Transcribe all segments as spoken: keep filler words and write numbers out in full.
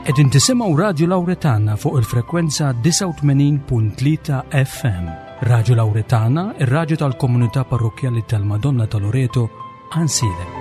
Qegħdin tisimgħu Radio Lauretana fuq il-frekwenza disgħa u tmenin punt tlieta F M. Radio Lauretana, ir-raġu tal-komunità parrokjali tal-Madonna ta' Loreto, Għajnsielem.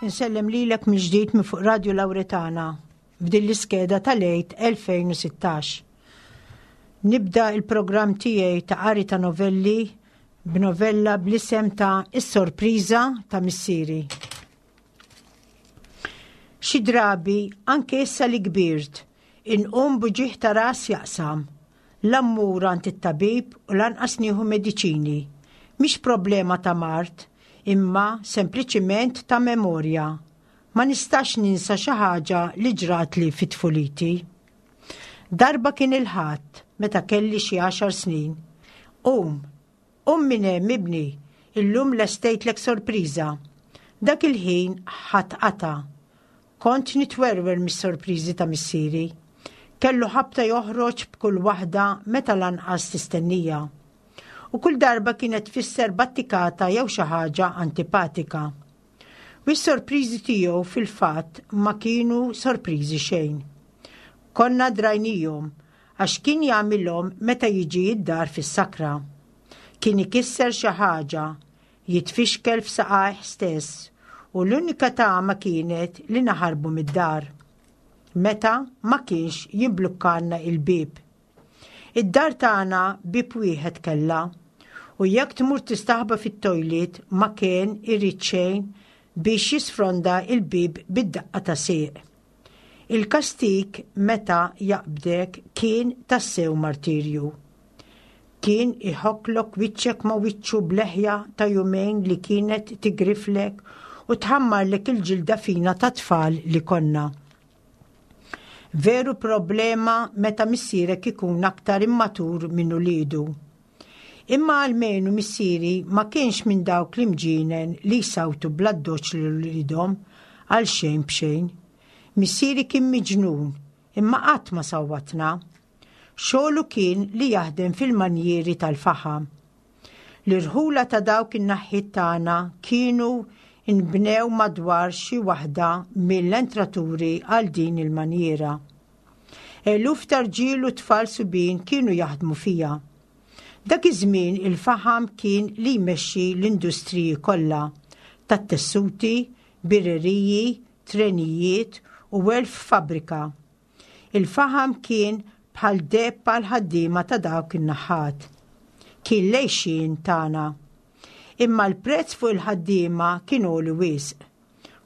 Insellem lilek mill-ġdid minn fuq Radio Lauretana f'din l-iskeda tal-Għid elfejn u sittax. Nibda il-programm tiegħi ta' qari ta' novelli b'novella bl-isem ta' Is-Sorpriża ta' Missieri. Xi drabi anke issa li kbirt, inqum b'uġigħ ta' ras jaqsam. La mmur għand it-tabib u lanqas nieħu mediċini. Mhix problema ta' mard, imma sempliċiment ta' memorja. Ma nistax ninsa xi ħaġa li ġratli fit-tfuliti. Darba kien il-Ħadd meta kelli xi għaxar snin. "Um, um minn hemm ibni, illum lestejtlek sorpriża." Dak il-ħin ħadt qatgħa. Kont nitwerwer mis-sorpriżi ta' missieri. Kellu ħabta joħroġ b'kull waħda meta lanqas tistennija. U kull darba kienet tfisser battikata jew xi ħaġa antipatika. U s-sorpriżi tiegħu fil-fatt ma kienu sorpriżi xejn. Konna drajnihom għax kien jagħmilhom meta jiġi id-dar fis-sakra. Kien ikisser xi ħaġa, jitfixkel f'saqajh stess u l-unika tama kienet li naħarbu mid-dar. Meta ma kienx jimblukkalna il-bib. Id-dar tagħna bib wieħed kellha u jekk tmur tistaħba fit-toilet ma kien irid xejn biex jisfronda il-bib bid-daqqa ta' sieq. Il-kastik meta jaqbdek kien tassew martirju. Kien iħokklok wiċċek ma' wiċċu b'leħja ta' jumejn li kienet tigriflek u tħammarlek il-ġilda fina ta' tfal li konna. Veru problema meta missierek ikun aktar immatur minn uliedu. Imma almenu missieri ma kienx minn dawk l-imġinen li jsawtu bl-addoċċ lil uliedhom għal xejn b'xejn. Missieri kien miġnun, imma qatt ma sawwatna. Xogħlu kien li jaħdem fil-manjieri tal-faħam. L-irħula ta' dawk in-naħħiet tagħna kienu inbnew madwar xi waħda mill-entraturi għal din il-manjiera. Eluf ta' rġiel u tfal subien kienu jaħdmu fiha. Dak iż-żmien il-faħam kien li jmexxi l-industriji kollha tat-tessuti, birreriji, trenijiet u elf fabbrika. Il-faħam kien bħal deheb għal ħaddiema ta' dawk in-naħat. Kien l-għixien tagħna. Imma l-prezz fuq il-ħaddiema kien għoli wisq.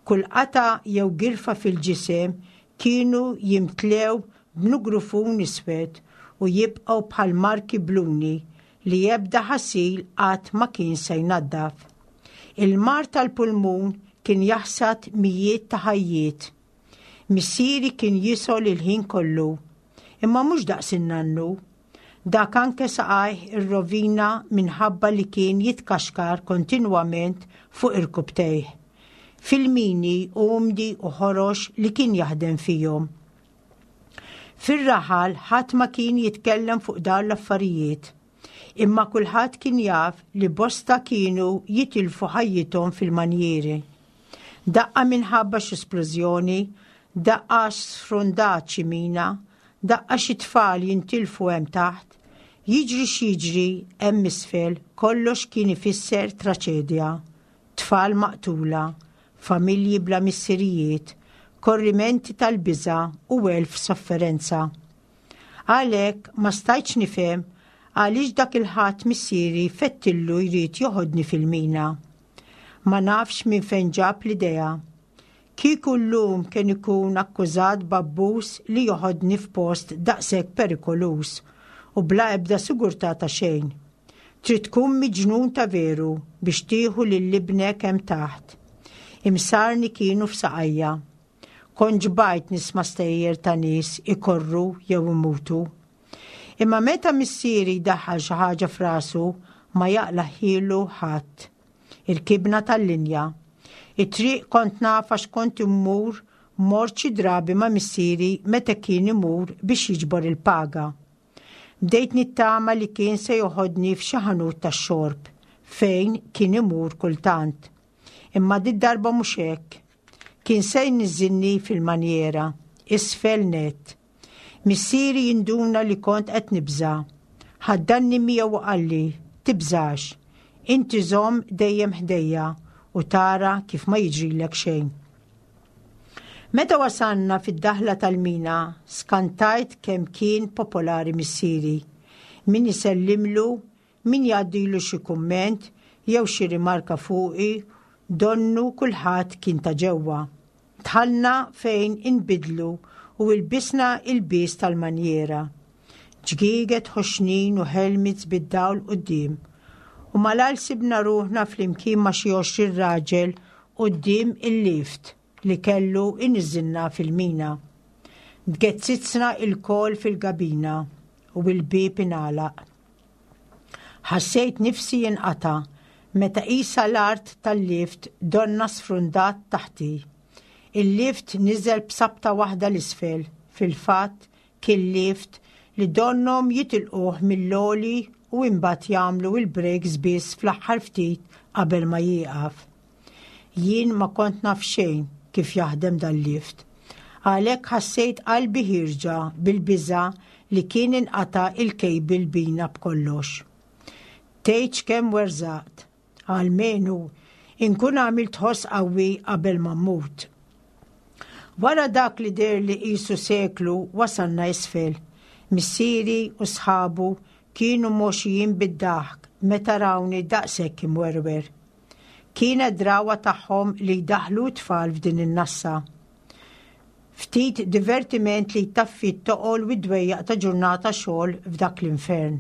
Kull qatgħa jew girfa fil-ġisem kienu jimtlew b'nugrufun iswed u jibqgħu bħal marki bluni li ebda ħasil qatt ma kien se jnaddaf. Il-mard tal-pulmun kien jaħsad mijiet ta' ħajjiet. Missieri kien jisgħol il-ħin kollu, imma mhux daqs in-nannu. Dak anke saqajh irrovina minħabba li kien jitkaxkar kontinwament fuq irkubtejh. Fil-mini umdi u ħorox li kien jaħdem fihom. Fir-raħal ħadd ma kien jitkellem fuq dawn l-affarijiet. Imma kulħadd kien jaf li bosta kienu jitilfu ħajjithom fil-manjieri. Daqqa minħabba xi splużjoni, daqqa sfrundat xi mina, daqqa xi tfal jintilfu hemm taħt, Jiġri x'jiġri hemm isfel, kollox kien ifisser traċedja. Tfal maqtula, familji bla missirijiet, korrimenti tal-biża' u elf sofferenza. Għalhekk ma stajtx nifhem għaliex dak il-ħadd missieri fettillu jrid joħodni fil-mina. Ma nafx minn fejn ġab l-idea. Kieku llum kien ikun akkużat b'abbuż li joħodni f'post daqshekk perikoluż u bla ebda sigurtà ta' xejn. Trid tkun miġnun ta' veru biex tieħu lil ibnek hemm taħt. Imsarni kienu f'saqajja. Kont xbajt nisma' stejjer ta' nies ikorru jew imutu. Imma meta missieri daħħal xi ħaġa f'rasu ma jaqlagħhielu ħadd. Irkibna tal-linja. It-triq kont naf għax kont immur mort xi drabi ma' missieri meta kien imur biex jiġbor il-paga. Bdejt nittama li kien se joħodni f'xi ħanut tax-xorb fejn kien imur kultant. Imma did-darba mhux hekk. Kien se jniżżilni fil-manjera, isfel net. Missieri jinduna li kont qed nibża'. Ħaddanni miegħu u qalli, tibżax. Inti żomm dejjem ħdejja u tara kif ma jiġrilek xejn. Meta wasanna fid-daħla tal-mina, skantajt kemm kien popolari missieri. Min isellimlu, min jgħaddilu xi kumment jew xi rimarka fuqi, donnu kulħadd kien ta' ġewwa. Dħalna fejn inbidlu u ilbisna ilbies tal-manjera. Ġgieget ħoxnin u helmets bid-dawl quddiem. U malajr sibna ruħna flimkien ma' xi għoxrin raġel quddiem il-lift li kellu iniżżilna fil-mina. Tgezzizna lkoll fil-gabina u l-bieb ingħalaq. Ħassejt nifsi jinqata' meta qisha l-art tal-lift donna sfrundat taħti. Il-lift niżel b'sabta waħda 'l isfel, fil-fatt kien lift li donnom jitilquh mill-għoli u imbagħad jagħmlu il-brakes biss fl-aħħar ftit qabel ma jieqaf. Jien ma kont naf xejn kif jaħdem dal-lift. Għalhekk ħassejt qalbi ħierġa bil-biża' li kien inqata' il-cable bina b'kollox. Tgħidx kemm werżaqt, almenu inkun għamilt ħoss qawwi qabel ma mmut. Wara dak li deher li qisu seklu wasalna isfel. Missieri u sħabu kienu moxijin bid-daħk meta rawni daqshekk imwerwer. Kienet drawa tagħhom li jdaħlu tfal f'din in-nassa. Ftit divertiment li jtaffi t-toqol u d-dwejjaq ta' ġurnata xogħol f'dak l-infern.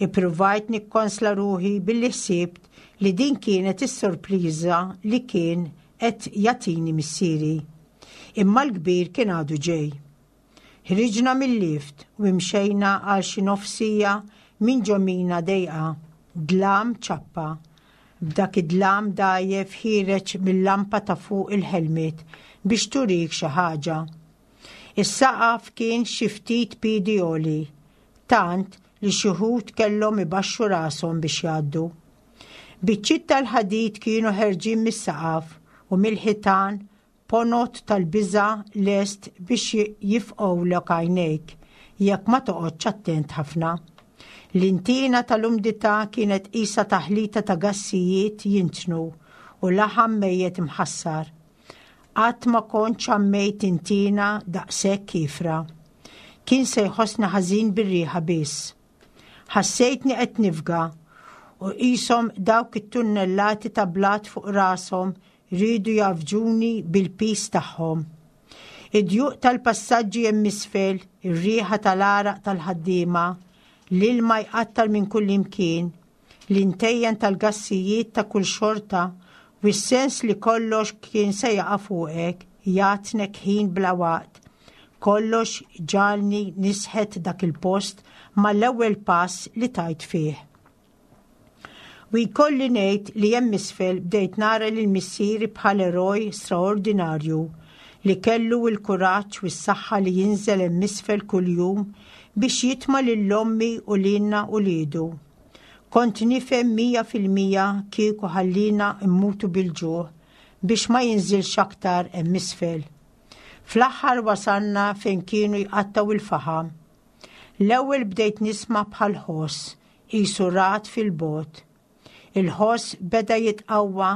Ippruvajt nikkonsla ruħi billi ħsibt li din kienet is-sorpriża li kien qed jagħtini missieri. Imma l-kbir kien għadu ġej. Ħriġna mill-lift u imxejna għal xi nofsija minn ġo mina dejqa, dlam ċappa. B'dak id-dlam dgħajjef ħiereġ mill-lampa ta' fuq il-helmet biex turik xi ħaġa. Is-saqaf kien xi ftit piedi għoli, tant li xi wħud kellhom ibaxxu rashom biex jgħaddu. Biċċiet tal-ħadid kienu ħerġin mis-saqaf u mill-ħitan ponot tal-biża' lest biex jifqgħulek għajnejk jekk ma toqgħodx attent ħafna. L-intina tal-umdità kienet qisha taħlita ta' gassijiet jintnu u laħam mejjet imħassar. Qatt ma kont xammejt intina daqshekk kiefra. Kien se jħossni ħażin bir-riħa biss. Ħassejtni qed nifga u qishom dawk it-tunnellati ta' blat fuq rashom riedu jgħaffġuni bil-piż tagħhom. Id-djuq tal-passaġġi hemm isfel, ir-riħa tal-għaraq tal-ħaddiema, l-ilma jqattar minn kull imkien, l-intejjen tal-gassijiet ta' kull xorta u s-sens li kollox kien se jaqa' fuqek, jagħtnek ħin bla waqt. Kollox ġagħalni nisħet dak il-post mal-ewwel pass li tajt fih. U jkolli ngħid li hemm isfel bdejt nara lil missieri bħal eroj straordinarju li kellu l-kuraġġ u s-saħħa li jinżel hemm isfel kuljum biex jitma' lil ommi u lilna uliedu. Kont nifhem mija fil-mija kieku ħallina mmutu bil-ġuħ biex ma jinżilx aktar hemm isfel. Fl-aħħar wasalna fejn kienu jqattgħu il-faħam. L-ewwel bdejt nisma' bħal ħoss qisu ragħad fil-bogħod. Il-ħoss beda jitqawwa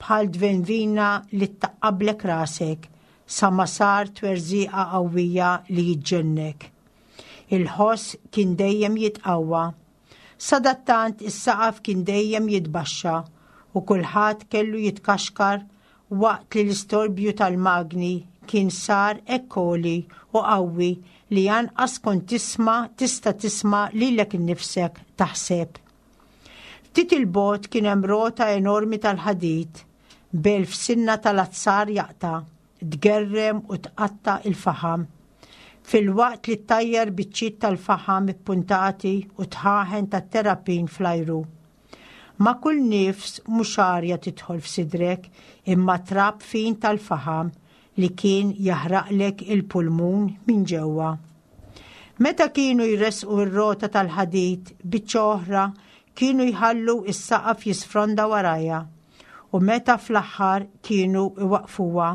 bħal dvenvina li ttaqqablek rasek sa ma sar twerżiqa qawwija li ġġennek. Il-ħoss kien dejjem jitqawwa. Sadattant is-saqaf kien dejjem jitbaxxa u kulħadd kellu jitkaxkar waqt li l-istorbju tal-magni kien sar hekk għoli u qawwi li anqas kont tisma' tista' tisma' lilek innifsek taħseb. Ftit il-bogħod kien hemm rota enormi tal-ħadid b'elf sinna tal-azzar jaqta', tgerrem u tqatta' il-faħam. Filwaqt li ttajjar biċċiet tal-faħam ippuntati u dħaħen tat-terrapin fl-ajru. Ma' kull nifs mhux arja tidħol f'sidrek imma trab fin tal-faħam li kien jaħraqlek il-pulmun minn ġewwa. Meta kienu jresqu r-rota tal-ħadid biċċa oħra kienu jħallu is-saqaf jisfronda warajha u meta fl-aħħar kienu iwaqfuha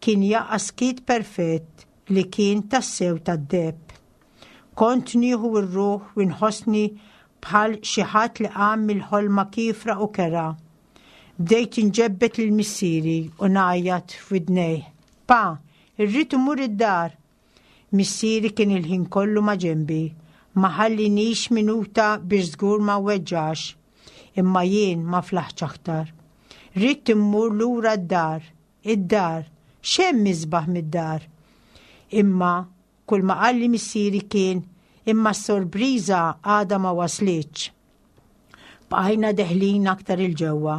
kien jaqa' skiet perfett li kien tassew tad-deheb. Kont nieħu r-ruħ u nħossni bħal xi ħadd li qam mill-ħolma kiefra u kerha. Bdejt inġebbet lil missieri u ngħajjat f'widnejh. Pa, irrid immur id-dar. Missieri kien il-ħin kollu ma' ġenbi, ma ħallinix minuta biex żgur ma weġġax. Imma jien ma flaħtx aktar. Ridt immur lura d-dar, id-dar, x'hemm isbaħ mid-dar. Imma kull ma qalli missieri kien imma s-sorpriża għadha ma waslitx. Bqajna deħlin aktar 'il ġewwa.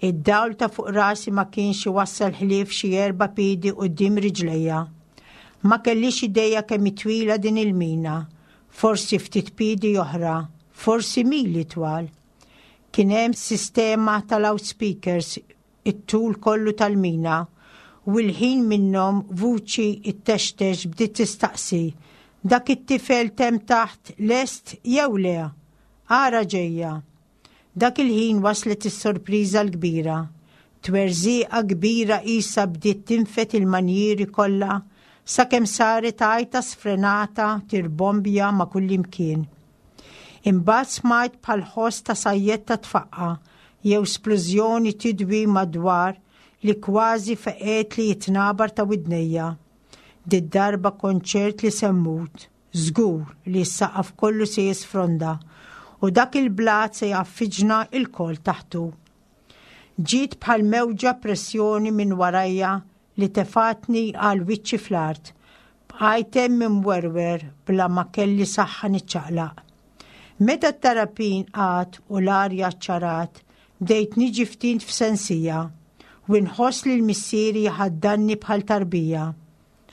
Id-dawl ta' fuq rasi ma kienx iwassal ħlief xi erba' piedi quddiem riġlejja. Ma kellix idea kemm twila din il-mina, forsi ftit piedi oħra, forsi mili twal. Kien hemm sistema ta' loudspeakers it-tul kollu tal-mina u l-ħin minnhom vuċi ittextex bdiet tistaqsi dak it-tifel t'hemm taħt lest jew le? Ara ġejja. Dak il-ħin waslet is-sorpriża l-kbira. Twerżiqa kbira qisha bdiet tinfed il-manjieri kollha sakemm saret għajta sfrenata tirbombja ma' kullimkien. Imbagħad smajt bħal ħoss ta' sajjetta tfaqqa' jew splużjoni tidwi madwar li kważi feqgħetli t-tnabar ta' widnejja. Did-darba kont ċert li se mmut, żgur li s-saqaf kollu se jisfronda u dak il-blat se jgħaffiġna lkoll taħtu. Ġiet bħal mewġa pressjoni minn warajja li tefatni għal wiċċi fl-art. Bqajt hemm imwerwer bla ma kelli saħħa niċċaqlaq. Meta t-terrapin qagħad u l-arja ċarat, bdejt niġi ftit f'sensija u nħoss li l-missieri ħaddanni bħal tarbija.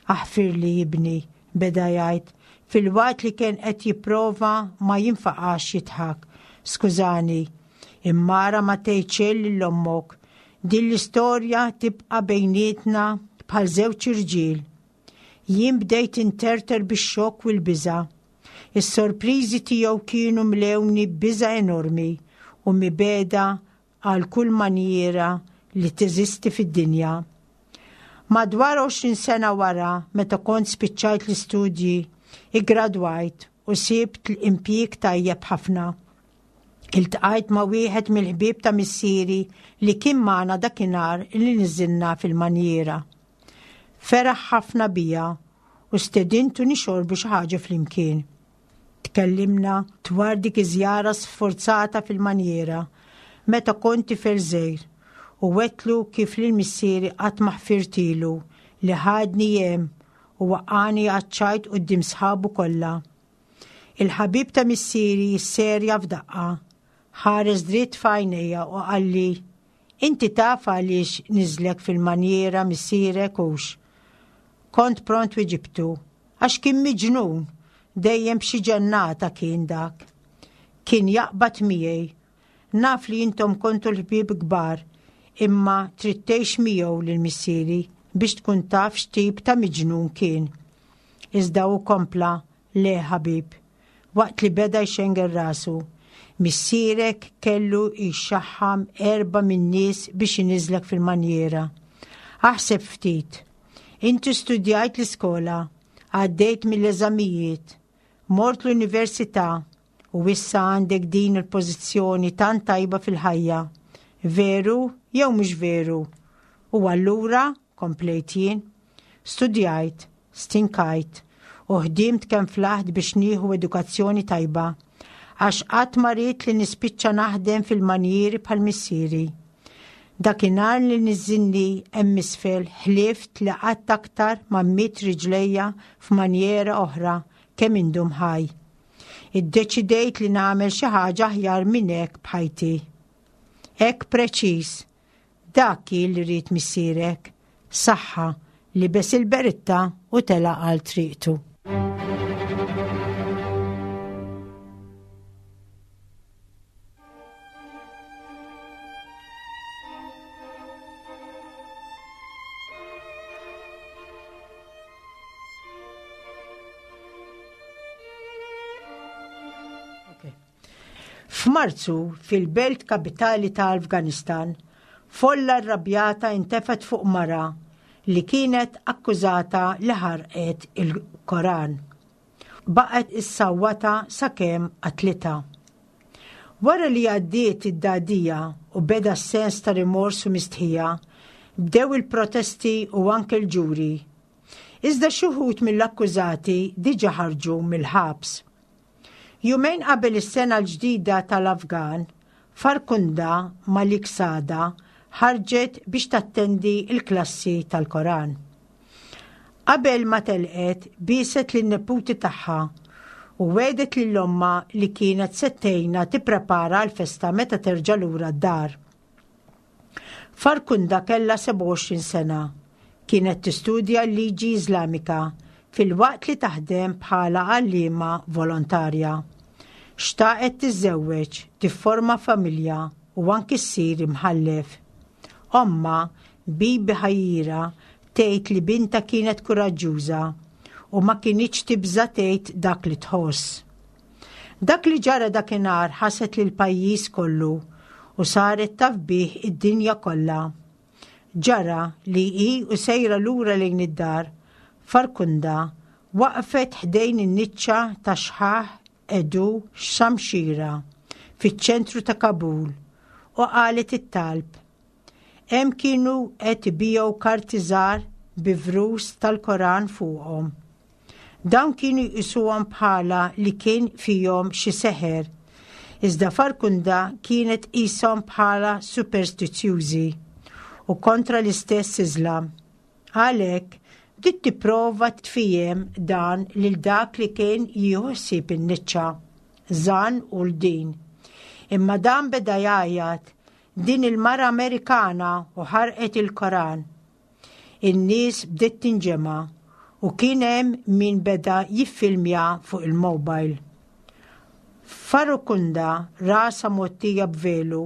Aħfirli ibni, beda jgħid, filwaqt li kien qed jipprova ma jinfaqax jidħak. Skużani, imma ara ma tgħidx lil ommok. Din l-istorja tibqa' bejnietna bħal żewġ irġiel. Jien bdejt interter bix-xokk u l-biża'. Is-sorpriżi tiegħu kienu mlewni biża' enormi u mibegħda għal kull manjiera li teżisti fid-dinja. Madwar għoxrin sena wara, meta kont spiċċajt l-istudji, iggradwajt u sibt l-impjieg tajjeb ħafna. Iltqajt ma' wieħed mill-ħbieb ta' missieri li kien magħna dakinhar li niżilna fil-manjiera. Feraħ ħafna bija u stedintu nixorbu xi ħaġa flimkien. Tkellimna dwar dik iż-żjara sforzata fil-manjiera meta kont tifel żgħir u għedtlu kif lil missieri qatt ma ħfirtilu li ħadni hemm u waqqagħni għaċ-ċajt quddiem sħabu kollha. Il-ħabib ta' missieri serja f'daqqa, ħares dritt f'għajnejja u qalli, inti taf għaliex niżlek fil-manjiera missierek hux. Kont pront weġibtu, għax kien miġnun, dejjem b'xi ġennata kien dak. Kien jaqbad miegħi, naf li intom kontu l-ħbieb kbar, imma trid tgħix miegħu lil missieri biex tkun taf x'tip ta' miġnun kien. Iżda hu kompla, le ħabib, waqt li beda jxengel rasu. Missierek kellu jxaħħam erba' min-nies biex iniżlek fil-manjiera. Aħseb ftit. Inti studjajt l-iskola, għaddejt mill-eżamijiet, Mort l-università u issa għandek din il-pożizzjoni tant tajba fil-ħajja. Veru jew mhux veru? U allura, komplejt jien, studjajt, stinkajt u ħdimt kemm flaħt biex nieħu edukazzjoni tajba, għax qatt ma ridt li nispiċċa naħdem fil-manjieri bħal missieri. Dakinhar li niżżilni hemm isfel ħlift li qatt aktar ma mmidd riġlejja f'manjera oħra kemm indum ħaj. Iddeċidejt li nagħmel xi ħaġa aħjar minn hekk b'ħajti. Hekk preċiż, dak kien li ried missierek, saħħa libes il-beritta u telaq għal triqtu. F'Marzu, fil-belt kapitali ta' Afganistan, folla rrabjata intefet fuq mara li kienet akkużata li ħarqet il-Koran. Baqgħet issawwata sakemm qatlitha. Wara li għaddiet id-dagħdigħa u beda s-sens ta' rimors u mistħija, bdew il-protesti u anke l-ġuri. Iżda xi wħud mill-akkużati diġà ħarġu mill-ħabs. Jumejn qabel is-sena l-ġdida tal-Afgan, Farkunda Malik Sada ħarġet biex tattendi il-klassi tal-Koran. Qabel ma telqet, bieset lin-neputi tagħha u wegħdet lil ommha li kienet se tgħinha tipprepara l-festa meta terġa' lura d-dar. Farkunda kellha sebgħa u għoxrin sena, kienet tistudja l-liġi Iżlamika filwaqt li taħdem bħala għalliema volontarja. Xtaqet tiżżewweġ, tifforma familja u anki ssir imħallef. Omma, Bibi Ħajira, tgħid li binta kienet kuraġġuża u ma kinitx tibża tgħid dak li tħoss. Dak li ġara dakinhar ħaset lil pajjiż kollu u saret taf bih id-dinja kollha. Ġara li hi u sejra lura lejn id-dar, Farkunda waqfet ħdejn in-niċċa ta' xħaħ Edu Shamshira fiċ-ċentru ta' Kabul u qalet it-talb. Hemm kienu qed ibigħu karti żgħar bi vrus tal-Koran fuqhom. Dawn kienu jqisuhom bħala li kien fihom xi seħer, iżda Farkunda kienet qishom bħala superstizzjużi u kontra l-istess Iżlam. Għalhekk bdiet tipprova tfiehem dan lil dak li kien jieħu ħsieb in-niċċa, Zan u l-din. Imma dan beda jgħajjat din il-mara Amerikana u ħarqet il-Koran. In-nies bdiet tinġema' u kien hemm min beda jiffilmja fuq il-mobile. Farukunda, rasa mgħottija b'velu,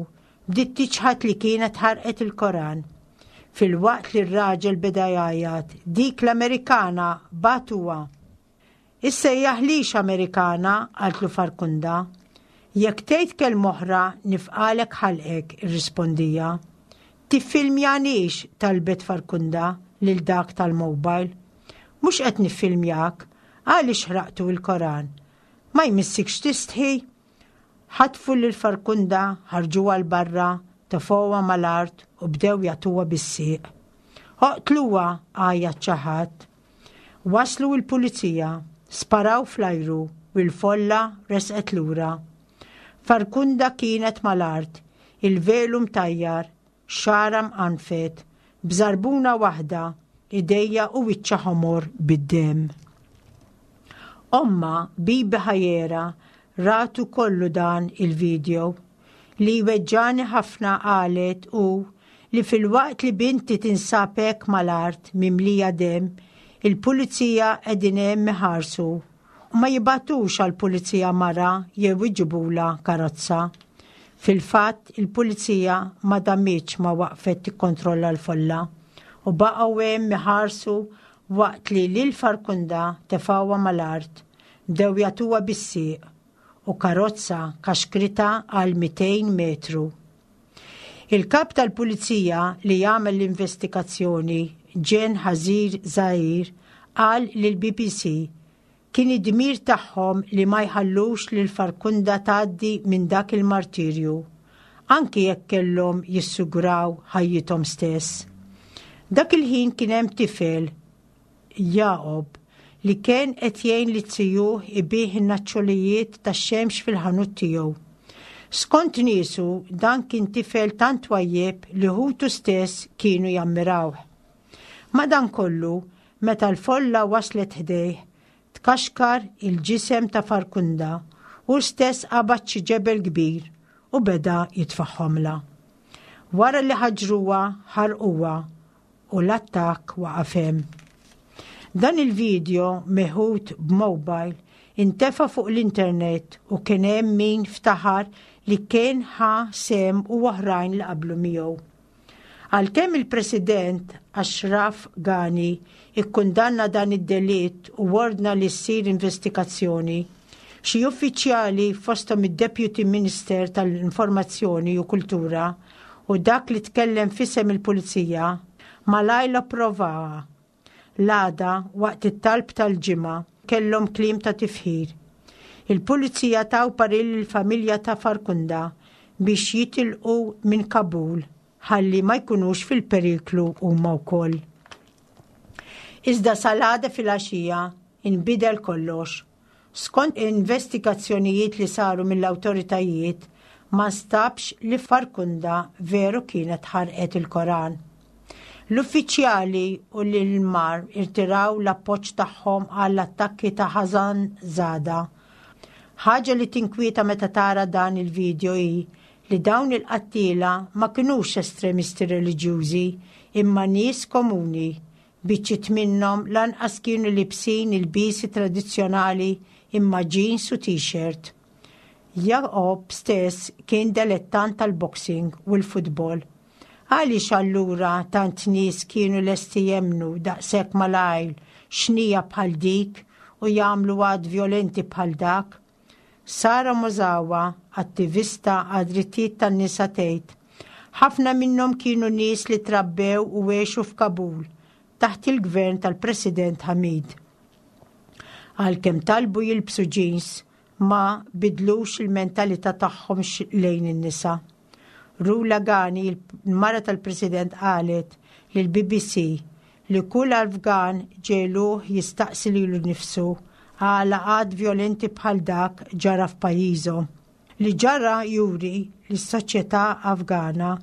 bdiet tiċħad li kienet ħarqet il-Koran. Filwaqt li r-raġel beda jgħajjat, dik l-Amerikana batuha. Issejjaħlix Amerikana, qaltlu Farkunda. Jekk tgħid kelma oħra nifqalek ħalqek, irrispondija. Tiffilmjanix, talbet Farkunda lil dak tal-mobile. Mhux qed niffilmjak, għaliex ħraqtu il-Koran. Ma jmissikx tistħi? Ħatfu lil Farkunda, ħarġuha 'l barra, tefgħuha mal-art u bdew jagħtuha bis-sieq. Oqtluha, għajjat xi ħadd. Waslu l-pulizija, sparaw fl-ajru u l-folla resqet lura. Farkunda kienet mal-art, il-velu mtajjar, xagħarha mqanfet, b'żarbuna waħda, idejja u wiċċha ħomor bid-demm. Omma, Bibi Ħajera, ratu kollu dan il-video. Li weġġani ħafna qalet u li filwaqt li binti tinsab hekk mal-art mimlija demm, il-pulizija qegħdin hemm iħarsu u ma jibatux għall-pulizija mara jew iġibula karozza. Fil-fatt, il-pulizija ma damitx ma waqfet tikkontrolla l-folla u baqgħu hemm iħarsu waqt li lil Farkunda tefgħuha mal-art, bdew jagħtuha bis-sieq u karozza kaxkrita għal mitejn metru. Il-kap tal-pulizija li jagħmel l-investigazzjoni, Ġen Ħażir Zahir, qal lil B B C Kien id-dmir tagħhom li ma jħallux lil Farkunda tgħaddi minn dak il-martirju, anki jekk kellhom jissugraw ħajjithom stess. Dak il-ħin kien hemm tifel, Jacob, li kien qed jgħin li zijuh ibigħ in-naċċolijiet tax-xemx fil-ħanut tiegħu. Skont niesu, dan kien tifel tant twajjeb li ħutu stess kienu jammirawh. Madankollu, meta l-folla waslet ħdejh, tkaxkar il-ġisem ta' Farkunda u stess qabad xi ġebel kbir u beda jitfagħhomlha. Wara li ħaġruha, ħarquha u l-attakk waqaf hemm. Dan il-video meħud b'mobile intefa fuq l-internet u kien hemm min ftaħar li kien ħa sehem u oħrajn li qablu miegħu. Għalkemm il-President Ashraf Ghani ikkundanna dan id-delitt u ordna li ssir investigazzjoni, xi uffiċjali, fosthom id-Deputy Minister tal-Informazzjoni u Kultura u dak li tkellem f'isem il-Pulizija, malajr approvawha. L-għada, waqt it-talb tal-Ġimgħa, kellhom kliem ta' tifħir. Il-pulizija taw parir il-familja ta' Farkunda biex jitilqu minn Kabul ħalli ma jkunux fil-periklu huma wkoll. Iżda sal-għada filgħaxija inbidel kollox. Skont investigazzjonijiet li saru mill-awtoritajiet, ma nstabx li Farkunda veru kienet ħarqet il-Koran. L-uffiċjali u l-mar irtiraw l-appoġġ tagħhom għall-attakki ta' Ħażan Zada. Ħaġa li tinkwieta meta tara dan il-video hi li dawn il-qattila ma kinux estremisti reliġjużi, imma nies komuni. Biċċiet minnhom lanqas kienu libsin il-lbiesi tradizzjonali, imma jeans u t-shirt. Jacob stess kien delettant tal-boxing u l-futbol. Għaliex allura tant nies kienu lesti jemmnu daqshekk malajr xnija bħal dik u jagħmlu att violenti bħal dak? Sara Mozawa, attivista għad-drittijiet tan-nisa, tgħid: "Ħafna minnhom kienu nies li trabbew u għexu f'Kabul taħt il-gvern tal-President Hamid. Għalkemm talbu jilbsu jeans, ma bidlux il-mentalità tagħhom lejn in-nisa." Rula Gani, il-mara tal-President, qalet lill-B B C li kull Afgan ġegħluh jistaqsi lilu nnifsu għala att violenti bħal dak ġara f'pajjiżhom. Li ġara juri li s-soċjetà Afgana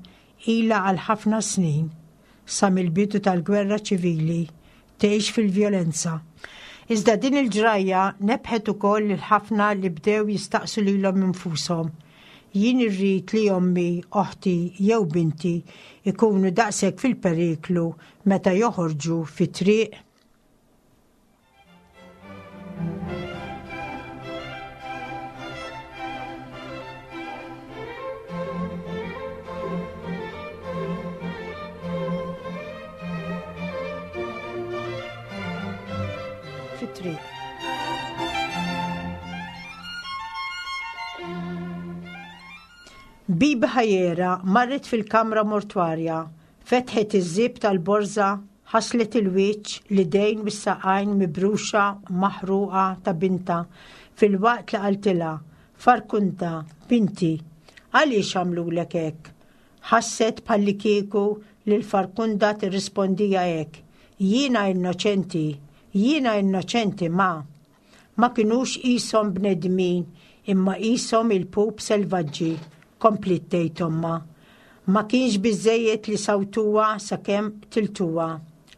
ila għal ħafna snin, sa mill-bidu tal-gwerra ċivili, tgħix fil-vjolenza. Iżda din il-ġrajja nebħet ukoll lil ħafna li bdew jistaqsu lilhom infushom: "Jien irrid li ommi, oħti jew binti ikunu daqshekk fil-periklu meta joħorġu fit-triq?" Fit-triq. Bibi Ħajera marret fil-kamra mortwarja, fetħet iż-żip tal-borza, ħaslet il-wiċċ, l-idejn u s-saqajn mibruxa maħruqa ta' bintha filwaqt li qaltilha: "Farkunda, binti, għaliex għamlulek hekk?" Ħasset bħallikieku li l-Farkunda tirrispondija hekk: "Jiena innoċenti, jiena innoċenti, ma." "Ma kinux qishom bnedmin, imma qishom ilpup selvaġġi," kompliet tgħid ommha. "Ma kienx biżejjed li sawtuha sakemm qtiltuha.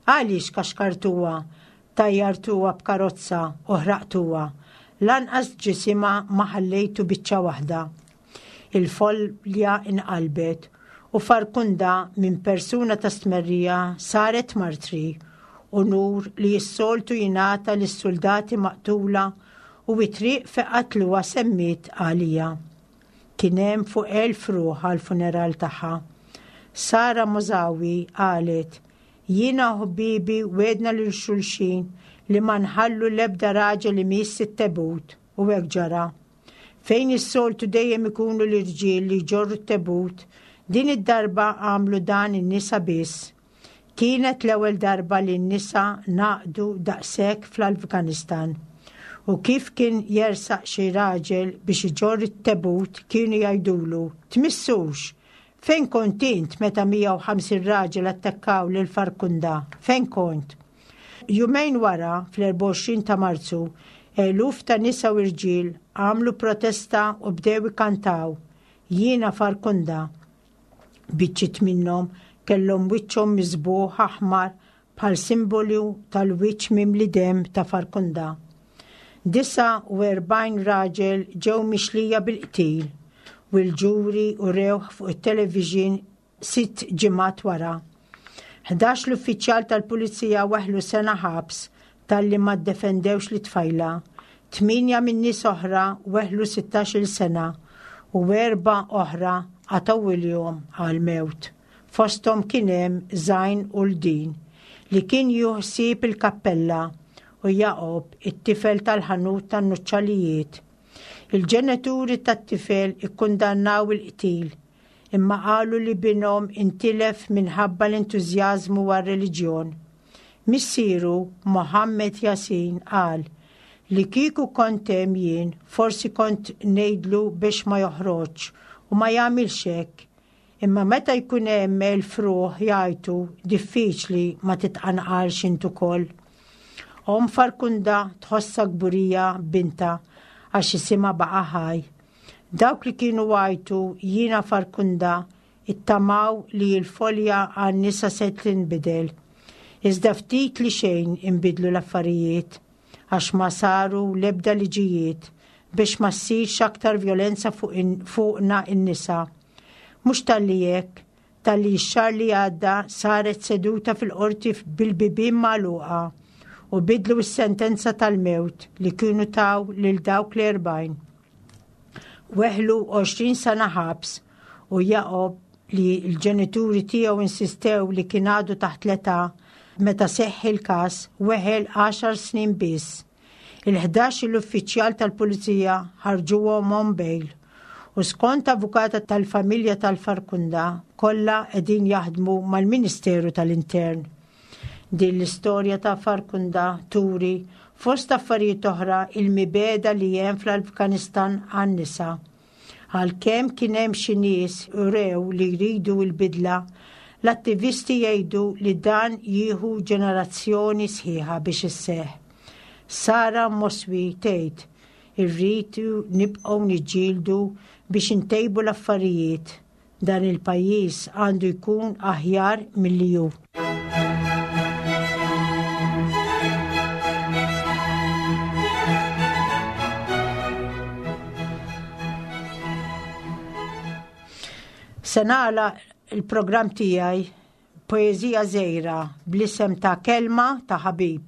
Għaliex kaxkartuha, tajjartuha b'karozza u ħraqtuha? Lanqas ġisimha ma ħallejtu biċċa waħda." Il-folja inqalbet u Farkunda minn persuna ta' stmerrija saret martri, unur li s-soltu jingħata lis-soldati maqtula, u it-triq fejn qatluha semmiet għaliha. Kien hemm fuq elf ruħ għal-funeral tagħha. Sara Mozawi qalet: "Jiena u ħbibi wegħedna lil xulxin li ma nħallu l-ebda raġel li imiss it-tebut, u hekk ġara. Fejn is-soltu dejjem ikunu l-irġiel li jġorru t-tebut, din id-darba għamlu dan in-nisa biss. Kienet l-ewwel darba li n-nisa ngħaqdu daqshekk fl-Afganistan. U kif kien jersaq xi raġel biex iġorr it-tebut kienu jgħidulu, "Tmissux, fejn kont int meta mija u ħamsin raġel attakkaw lil Farkunda? Fejn kont?" Jumejn wara, fl-erbgħa u għoxrin ta' Marzu, eluf ta' nisa u irġiel għamlu protesta u bdew ikantaw "Jiena Farkunda". Biċċiet minnhom kellhom wiċċhom miżbugħ aħmar bħal simbolu tal-wiċċ mimli dem ta' Farkunda. Disgħa u erbgħin raġel ġew mixlija bil-qtil u l-ġuri urewh fuq it-television sitt ġimgħat wara. Ħdax l-uffiċjal tal-pulizija weħlu sena ħabs talli ma ddefendewx lit-tfajla. Tminja minn nies oħra weħlu sittax-il sena u erba' oħra qatgħu għal-mewt. Fosthom kien hemm Zain Uldin li kien juħsib il-kappella u Jacob, it-tifel tal-ħanut tan-nuċċalijiet. Il-ġenituri tat-tifel ikkundannaw il-qtil imma qalu li binhom intilef minħabba l-entużjażmu għar-reliġjon. Missieru Mohammed Yasin qal li kieku kont hemm jien forsi kont ngħidlu biex ma joħroġ u ma jagħmilx hekk. Imma meta jkun hemm elf ruħ jgħajtu diffiċli ma titqanqalx int ukoll. Omm Farkunda tħossha kburija bintha għax isimha baqa' ħaj. Dawk li kienu għajtu "Jiena Farkunda" ittamaw li l-folja għan-nisa se tinbidel. Iżda ftit li xejn inbidlu l-affarijiet għax ma saru l-ebda liġijiet biex ma ssirx aktar vjolenza fuqna in-nisa. Mhux talli hekk, talli x-xahar li għadda saret seduta fil-qorti bil-bibien magħluqa u bidlu s-sentenza tal-mewt li kienu taw lil dawk l-erbgħin. Weħlu għoxrin sena ħabs u Jacob li l-ġenituri tiegħu insistew li kien għadu taħt l-età meta seħħ il-każ weħel għaxar snin biss. Il-ħdax l-uffiċjal tal-pulizija ħarġuhom on bail u skont avukata tal-familja tal-Farkunda kollha qegħdin jaħdmu mal-Ministeru tal-Intern. Din l-istorja ta' Farkunda turi fost affarijiet oħra il-mibegħda li hemm fl-Afganistan għan-nisa. Għalkemm kien hemm xi nies urew li jridu l-bidla, l-attivisti jgħidu li dan jieħu ġenerazzjoni sħiħa biex isseħħ. Sara Moswi tgħid irridu nibqgħu niġġieldu biex intejbu l-affarijiet. Dan il-pajjiż għandu jkun aħjar milli hu. Se nagħlaq il-programm tiegħi poeżija żgħira bl-isem ta' Kelma ta' Ħabib.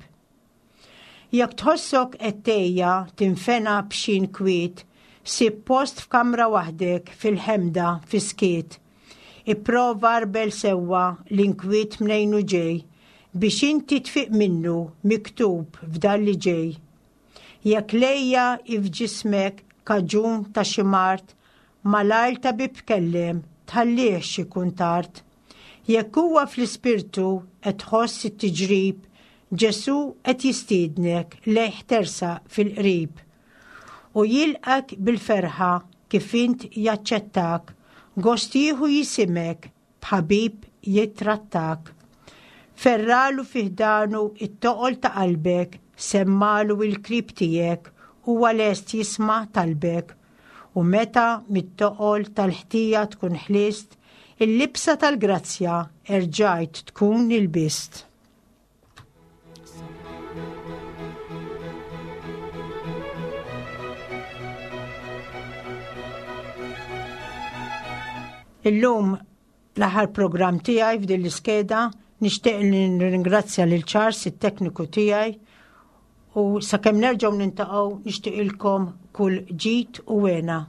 Jekk tħossok qed tgħejja tinfena b'xi nkwiet, sib post f'kamra waħdek fil-ħemda fis-skiet. Ipprova arbel sewwa l-inkwiet mnejn hu ġej biex inti tfiq minnu miktub f'dan li ġej. Jekk lejja f'ġismek kaġun ta' xi mard, malajr tabib kellem, tħallihx ikun tard. Jekk huwa fl-ispirtu qed tħoss it-tiġrib, Ġesù qed jistiednek lejh tersaq fil-qrib. U jilqak bil-ferħa kif int jaċċettak, gost jieħu jisimek b'ħabib jittrattak. Ferralu fi ħdanu it-toqol ta' qalbek, semmalu il-krib tiegħek, huwa lest jisma' talbek. U meta mit-toqol tal-ħtija tkun ħlist, il-libsa tal-grazzja erġajt tkun ilbist. Illum l-aħħar programm tiegħi f'din l-iskeda nixtieq li nirringrazzja lil Charles, it-tekniku tiegħi, u sakemm nerġgħu nintaqgħu nixtieqilkom kull ġid u hena.